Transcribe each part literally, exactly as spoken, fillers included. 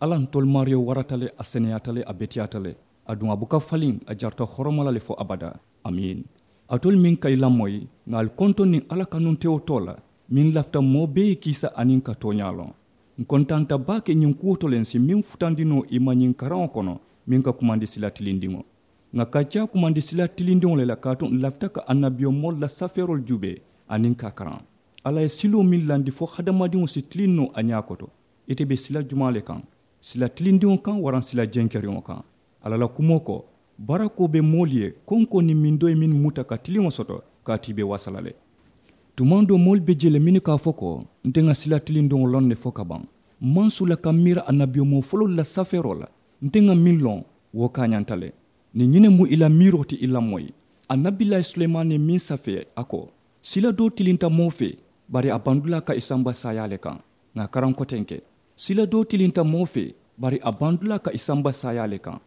Alla ntolu maariyo warata le, a seneyaata le, a beteyaata le. Aduŋ a buka faliŋ, a jarata horoma la le fo abadaa. Amiin. Alitolu meŋ ka i lamoyi, ŋà ali kontoŋ niŋ alla kanuntewo too la, meŋ lafita moo bee ye kiisa aniŋ ka tooñaa loŋ. Ǹ kontaanta baake ñiŋ kuwo to le ǹ si meŋ futandi noo i ma ñiŋ karaŋo kono, meŋ ka kumandi sila tilindiŋo. Ŋà kacaa kumandi sila tilindiŋo le la kaatu ǹ lafita ka annabiyomoolu la safeeroolu juubee, aniŋ ka a karaŋ. Alla ye siloo meŋ landi fo hadamadiŋo si tiliŋ noo a ñaa koto. Ite be sila jumaa le kaŋ? Sila tilindiŋo kaŋ waraŋ sila jenkeriŋo kaŋ? Alla la kumoo ko, barakoo be moolu ye konkoo niŋ mindoo ye mennu muta ka tiliŋo soto, kaatu i be wasa la le. Tumaŋ doo moolu be jee le mennu ka a fo ko, nte ŋà sila tilindiŋo loŋ ne fo ka baŋ. Maŋ sula ka miira annabiyomoo foloolu la safeeroo la. Nte ŋà meŋ loŋ, wo kaañanta le. Niŋ ñiŋ ne mu i la miiroo ti i lamoyi, annabilaayi sulemaani ye meŋ safee a ko, sila doo tilinta moo fee, bari a bandulaa ka i samba saayaa le kaŋ. Ŋà a karaŋ kotenke, sila doo tilinta moo fee, bari a bandulaa ka i samba saayaa le kaŋ.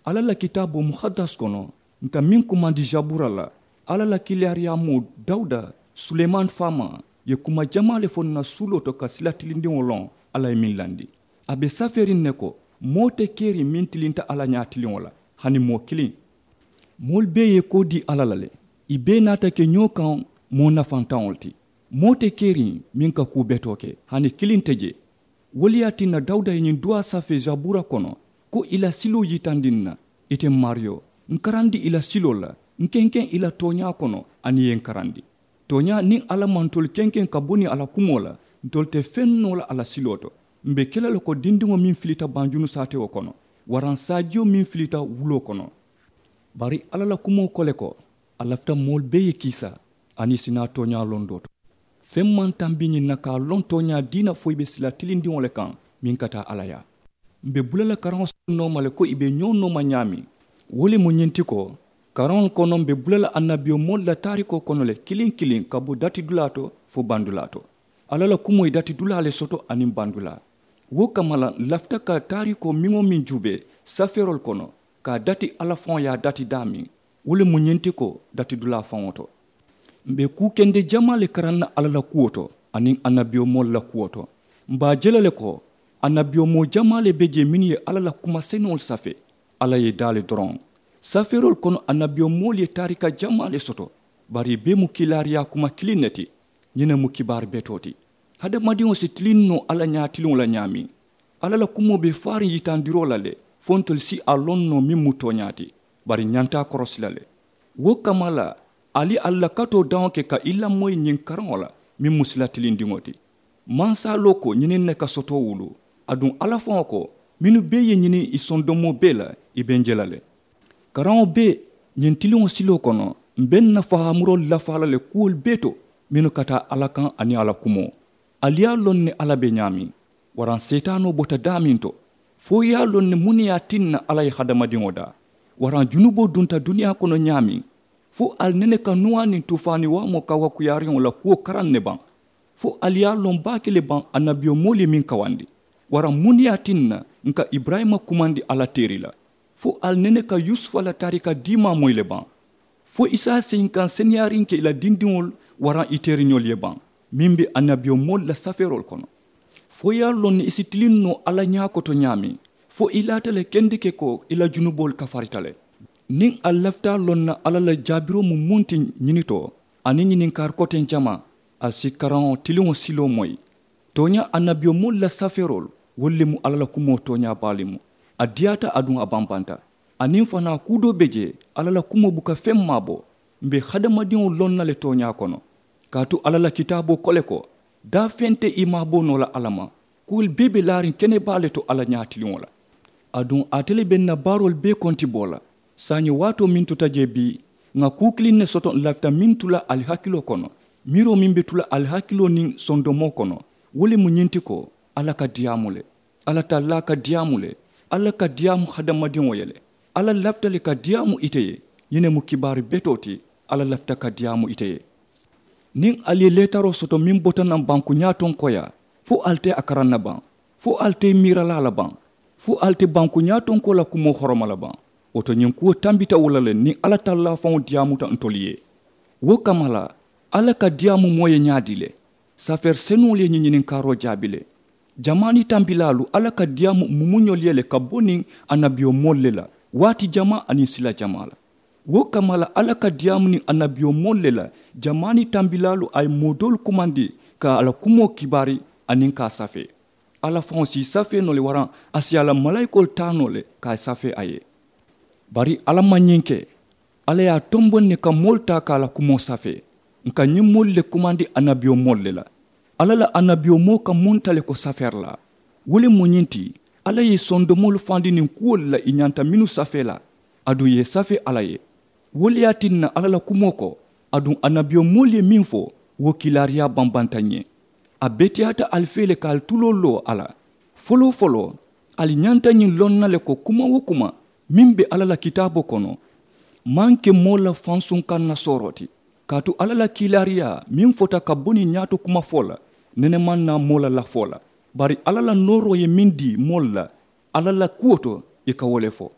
Alla la kitaaboo muhaddas kono, ǹ ka meŋ kumandi zabura la, alla la kiilaariyaamoo dawuda, sulemaani faamaa, ye kuma jamaa le fo ǹ na suuloo to ka sila tilindiŋo loŋ. Alla ye meŋ landi, a be safeeriŋ ne ko, moo te keriŋ meŋ tilinta alla ñaatiliŋo la, hani moo kiliŋ. Moolu bee ye koo dii alla la le, i bee naata ke ñoo kaŋ moo nafantaŋolu ti. Moo te keriŋ meŋ ka kuu betoo ke, hani kiliŋ te jee. Wo le ye a tinna dawuda ye ñiŋ duwaa safee zabura kono, ko i la siloo yitandi ǹ na. Ite maariyo, ǹ karandi i la siloo la, ǹ kenkeŋ i la tooñaa kono, aniŋ i ye ǹ karandi. Tooñaa niŋ alla maŋ ntolu kenkeŋ ka bo niŋ a la kumoo la, ntolu te feŋ noo la a la siloo to. M̀ be ke la le ko dindiŋo meŋ filita banjunu saatewo kono, waraŋ saajiyo meŋ filita wuloo kono. Bari alla la kumoo ko le ko, a lafita moolu bee ye kiisa, aniŋ i si naa tooñaa londoo to. Feŋ maŋ tambi ñiŋ na ka a loŋ tooñaa diina fo i be sila tilindiŋo le kaŋ, meŋ ka taa alla yaa. M̀ be bula la karaŋo soto nooma le ko i be ñoo nooma ñaameŋ. Wo le mu ñiŋ ti ko, karaŋolu kono m̀ be bula la annabiyomoolu la taarikoo kono le kiliŋ kiliŋ ka bo datidulaa to fo bandulaa to. Alla la kumoo ye datidulaa le soto aniŋ bandulaa. Wo kamma la ǹ lafita ka taarikoo meŋ-wo-meŋ juubee safeeroolu kono, ka a dati alla faŋo ye a dati daameŋ. Wo le mu ñiŋ ti ko, datidulaa faŋo to, m̀ be kuu kende jamaa le karaŋ na alla la kuwo to, aniŋ annabiyomoolu la kuwo to. M̀ be a je la le ko, annabiyomoo jamaa le be jee mennu ye alla la kuma senuŋolu safee. Alla ye i daa le doroŋ. Safeeroolu kono annabiyomoolu ye taarika jamaa le soto, bari i bee mu kiilaariyaa kuma kiliŋ ne ti. Ñiŋ ne mu kibaari betoo ti. Hadamadiŋo si tiliŋ noo alla ñaatiliŋo la ñaameŋ. Alla la kumoo be faariŋ yitandiroo la le, fo ntolu si a loŋ noo meŋ mu tooñaa ti. Bari ǹ ñanta a korosi la le. Wo kamma la, ali ye ali la katoo daŋo ke ka i lamoyi ñiŋ karaŋo la, meŋ mu sila tilindiŋo ti. Mansaaloo ko ñiniŋ ne ka soto wuluu. Aduŋ alla faŋo ko, mennu bee ye ñiniŋ i sondomoo bee la, i be ǹ je la le. Karaŋo bee, ñiŋ tiliŋo siloo kono, m̀ be ǹ na fahaamuroolu lafaa la le kuwolu bee to, mennu ka taa alla kaŋ aniŋ a la kumoo. Ali ye a loŋ ne alla be ñaameŋ, waraŋ seetaanoo bota daameŋ to? Fo i ye a loŋ ne muŋ ne ye a tinna alla ye hadamadiŋo daa? Waraŋ junuboo dunta duniyaa kono ñaameŋ? Fo ali nene ka nuwaa niŋ tuufaani waamoo kawakuyaariŋo la kuwo karaŋ ne baŋ? Fo ali ye a loŋ baake le baŋ annabiyomoolu ye meŋ kawandi? Waraŋ muŋ ne ye a tinna ǹ ka iburayima kumandi alla teeri la? Fo ali nene ka yusufa la taarika diimaa moyi le baŋ? Fo i si a seyinkaŋ seneyaariŋ ke i la dindiŋolu waraŋ i teeriñolu ye baŋ? Meŋ be annabiyomoolu la safeeroolu kono. Fo i ye a loŋ ne i si tiliŋ noo alla ñaa koto ñaameŋ? Fo i laata le kendeke ko i la junuboolu kafarita le? Niŋ ali lafita a loŋ na alla la jaabiroo mu muŋ ti ñini to, aniŋ ñininkaari koteŋ jamaa, ali si karaŋo tiliŋo siloo moyi. Tooñaa annabiyomoolu la safeeroolu, wolu le mu alla la kumoo tooñaa baa le mu. A diyaata aduŋ a bambanta. Aniŋ fanaa kuu doo be jee, alla la kumoo buka feŋ maabo. M̀ be hadamadiŋo loŋ na le tooñaa kono. Kaatu alla la kitaaboo ko le ko, daafeŋ te i maaboo noo la alla ma. Kuwolu bee be laariŋ kene baa le to alla ñaatiliŋo la. Aduŋ ate le be ǹ na baaroolu bee kontiboo la. Saayiŋ waatoo meŋ tuta jee bii, ŋà kuu kiliŋ ne soto ǹ lafita meŋ tu la ali hakiloo kono. Miiroo meŋ be tu la ali hakiloo niŋ sondomoo kono, wo le mu ñiŋ ti ko, alla ka diyaamu le. Alla tallaa ka diyaamu le. Alla ka diyaamu hadamadiŋo ye le. Alla lafita le ka diyaamu ite ye. Ñiŋ ne mu kibaari betoo ti. Alla lafita ka diyaamu ite ye. Niŋ ali ye leetaroo soto meŋ bota naŋ bankuñaa tonkoyaa, fo ali te a karaŋ na baŋ? Fo ali te i miira la a la baŋ? Fo ali te bankuñaa tonkoo la kumoo horoma la baŋ? Wo to ñiŋ kuwo tambita wo la le niŋ alla tallaa faŋo diyaamuta ntolu ye. Wo kamma la, alla ka diyaamu moo ye ñaadii le? Safeeri senuŋolu ye ñiŋ ñininkaaroo jaabi le. Jamaani tambilaalu alla ka diyaamu mumuñolu ye le ka bo niŋ annabiyomoolu le la, waati jamaa aniŋ sila jamaa la. Wo kamma la alla ka diyaamu niŋ annabiyomoolu le la jamaani tambilaalu a ye moo doolu kumandi ka a la kumoo kibaari aniŋ ka a safee. Alla faŋo si i safee noo le waraŋ a si a la malaayikoolu taa noo le ka a ye safee a ye. Bari alla maŋ ñiŋ ke. Alla ye a tomboŋ ne ka moolu taa ka a la kumoo safee. Nka ñiŋ moolu le kumandi annabiyomoolu le la. Alla la annabiyomoo ka munta le ko safeerilaa. Wo le mu ñiŋ ti, alla ye i sondomoolu fandi niŋ kuwolu la i ñanta mennu safee la, aduŋ i ye safee alla ye. Wo le ye a tinna alla la kumoo ko, aduŋ annabiyomoolu ye meŋ fo, wo kiilaariyaa bambanta n ye. A beteyaata ali fee le ka ali tuloo loo a la. Foloo foloo, ali ñanta ñiŋ loŋ na le ko kuma wo kuma meŋ be alla la kitaaboo kono, maŋ ke moo la fansuŋ kaŋ na sooroo ti. Kaatu alla la kiilaariyaa meŋ fota ka bo niŋ ñaato kuma fo la, nene maŋ naa moo la lafoo la. Bari alla la nooroo ye meŋ dii moolu la alla la kuwo to, i ka wo le fo.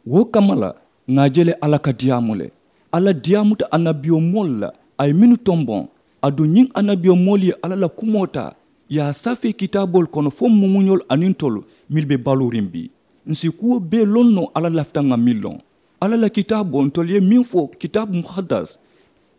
Wo kamma la, ŋà a je le alla ka diyaamu le. Alla diyaamuta annabiyomoolu la a ye mennu tomboŋ, aduŋ ñiŋ annabiyomoolu ye alla la kumoo taa, i ye a safee kitaaboolu kono fo mumuñolu aniŋ ntolu mennu be baluuriŋ bii. Ǹ si kuwo bee loŋ noo alla lafita ŋà meŋ loŋ. Alla la kitaaboo ntolu ye meŋ fo kitaabu muhaddas.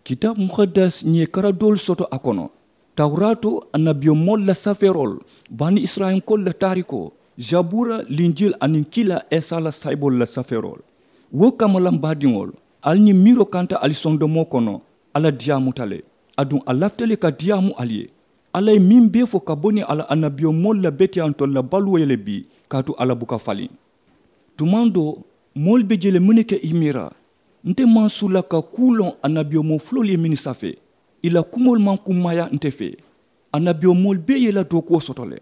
Kitaabu muhaddas ǹ ye kara doolu soto a kono. Tawuraato, annabiyomoolu la safeeroolu, bani isirayilankoolu la taarikoo, zabuura, linjili aniŋ kila isa la saayiboolu la safeeroolu. Wo kamma la m baadiŋolu, ali ñiŋ miiroo kanta ali sondomoo kono, alla diyaamuta le. Aduŋ a lafita le ka diyaamu ali ye. Alla ye meŋ bee fo ka bo niŋ a la annabiyomoolu la beteyaa ntolu la baluwo ye le bii, kaatu alla buka faliŋ. Tumaŋ doo, moolu be je le mennu ka i miira, nte maŋ suu la ka kuu loŋ annabiyomoo fuloolu ye mennu safee, i la kumoolu maŋ kummaaya nte fee. Annabiyomoolu bee ye i la dookuwo soto le.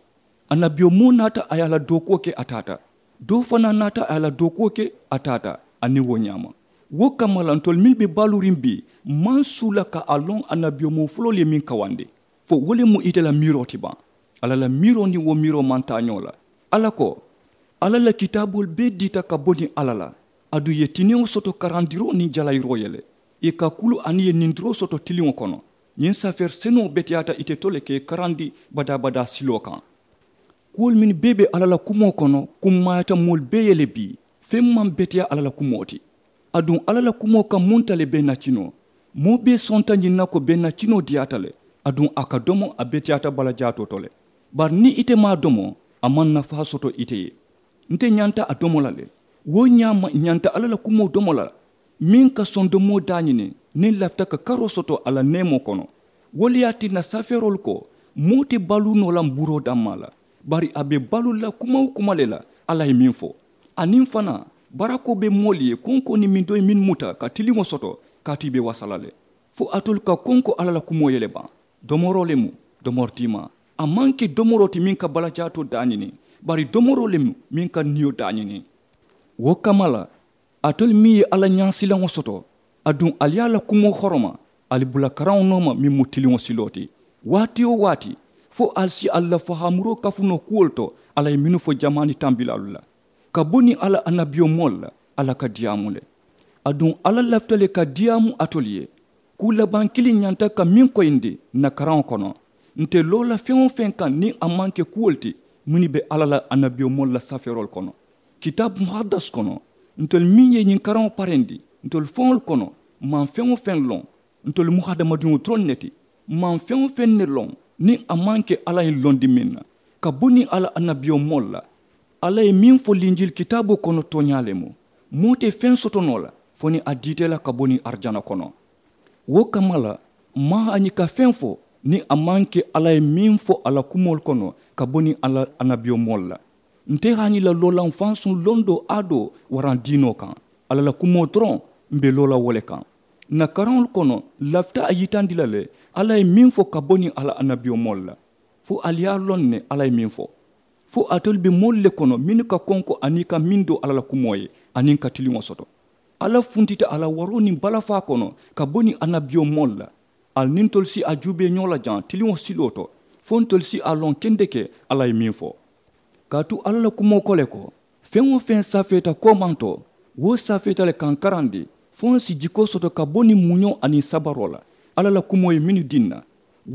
Annabiyomoo naata a ye a la dookuwo ke a taata. Doo fanaa naata a ye a la dookuwo ke a taata. Aniŋ wo ñaama, wo kamma la ntolu mennu be baluuriŋ bii, m maŋ suu la ka a loŋ annabiyomoo fuloolu ye meŋ kawandi. Fo wo le mu ite la miiroo ti baŋ? Alla la miiroo niŋ wo miiroo maŋ taa ñoo la. Alla ko, alla la kitaaboolu bee diita ka bo niŋ alla la. Aduŋ i ye tiniŋo soto karandiroo niŋ jalayiroo ye le. I ka kulu aniŋ i ye nindiroo soto tiliŋo kono. Ñiŋ safeeri senuŋo beteyaata ite to le ka i karandi badaa-badaa siloo kaŋ. Kuwolu mennu bee be alla la kumoo kono kummaayata moolu bee ye le bii. Feŋ maŋ beteyaa alla la kumoo ti. Aduŋ alla la kumoo ka munta le bee nacinoo? Moo bee sonta ñiŋ na ko bee nacinoo diyaata le. Aduŋ a ka domo a beteyaata balajaatoo to le. Bari niŋ ite maŋ a domo, a maŋ nafaa soto ite ye. Nte ñanta a domo la le. Wo ñaama ñanta alla la kumoo domo la, meŋ ka sondomoo daañini niŋ lafita ka karoo soto a la neemoo kono. Wo le ye a tinna safeeroolu ko, moo te baluu noo la mbuuroo dammaa la, bari a be baluu la kuma-wo-kuma le la. Alla ye meŋ fo, aniŋ fanaa, barakoo be moolu ye konkoo niŋ mindoo ye mennu muta ka tiliŋo soto, kaatu i be wasa la le. Fo alitolu ka konko alla la kumoo ye le baŋ? Domoroo le mu, domori tiimaa. A maŋ ke domoroo ti meŋ ka balajaatoo daañini, bari domoroo le mu meŋ ka niyo daañini. Wo kamma la, alitolu meŋ ye alla ñaasilaŋo soto, aduŋ ali ye a la kumoo horoma, ali bula karaŋo nooma meŋ mu tiliŋo siloo ti. Waati-wo-waati, fo ali si ali la fahaamuroo kafu noo kuwolu to alla ye mennu fo jamaani tambilaalu la, ka bo niŋ alla annabiyomoolu la, alla ka diyaamu le. Aduŋ alla lafita le ka diyaamu alitolu ye. Kuu labaŋ kiliŋ ñanta ka meŋ koyindi ǹ na karaŋo kono, nte loo la feŋ-wo-feŋ kaŋ niŋ a maŋ ke kuwolu ti mennu be alla la annabiyomoolu la safeeroolu kono. Kitaabu muhaddas kono, ntolu meŋ ye ñiŋ karaŋo parendi, ntolu faŋolu kono, m maŋ feŋ-wo-feŋ loŋ. Ntolu mu hadamadiŋo doroŋ ne ti. M maŋ feŋ-wo-feŋ ne loŋ niŋ a maŋ ke alla ye londi meŋ na, ka bo niŋ alla annabiyomoolu la. Alla ye meŋ fo linjili kitaaboo kono tooñaa le mu. Moo te feŋ soto noo la fo niŋ a diita i la ka bo niŋ arijana kono. Wo kamma la, m maŋ haañi ka feŋ fo niŋ a maŋ ke alla ye meŋ fo a la kumoolu kono ka bo niŋ alla annabiyomoolu la. Nte haañi la loo la m fansuŋ londoo aadoo waraŋ diinoo kaŋ. Alla la kumoo doroŋ, m be loo la wo le kaŋ. Ǹ na karaŋolu kono, m lafita a yitandi la le alla ye meŋ fo ka bo niŋ alla annabiyomoolu la. Fo ali ye a loŋ ne alla ye meŋ fo. Fo alitolu be moolu le kono mennu ka konko aniŋ i ka mindoo alla la kumoo ye, aniŋ ka tiliŋo soto. Alla funtita a la waroo niŋ balafaa kono ka bo niŋ annabiyomoolu la. Ali niŋ ntolu si a juubee ñoo la jaŋ tiliŋo siloo to, fo ntolu si a loŋ kendeke alla ye meŋ fo. Kaatu alla la kumoo ko le ko, feŋ-wo-feŋ safeeta koomantoo, wo safeeta le ka ǹ karandi, fo ǹ si jikoo soto ka bo niŋ muñoo aniŋ sabaroo la. Alla la kumoo ye mennu dii ǹ na,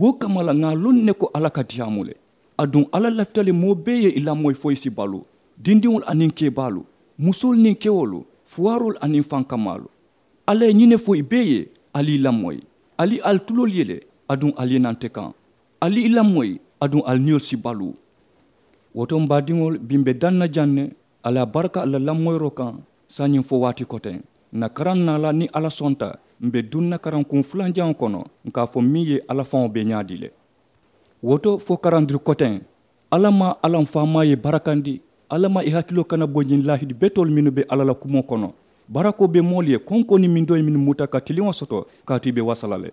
wo kamma la ŋà a loŋ ne ko alla ka diyaamu le. Aduŋ alla lafita le moo bee ye i lamoyi fo i si baluu, dindiŋolu aniŋ keebaalu, musoolu niŋ kewoolu, fuwaaroolu aniŋ fankamaalu. Alla ye ñiŋ ne fo i bee ye, ali i lamoyi. Ali ali tuloolu ye le, aduŋ ali ye naŋ te kaŋ. Ali i lamoyi, aduŋ ali niyolu si baluu. Wo to m baadiŋolu bi m be daŋ na jaŋ ne, ali a baraka ali la lamoyiroo kaŋ. Saayiŋ fo waati koteŋ, n na karaŋ naa la niŋ alla sonta, m be duŋ na karaŋ kuŋ fulanjaŋo kono, n ka a fo meŋ ye alla faŋo be ñaadii le. Wo to fo karandiri koteŋ, alla maa alla m faamaa ye barakandi. Alla maa i hakiloo kana bo ñiŋ laahidi betoolu mennu be alla la kumoo kono. Barakoo be moolu ye konkoo niŋ mindoo ye mennu muta ka tiliŋo soto, kaatu i be wasa la le.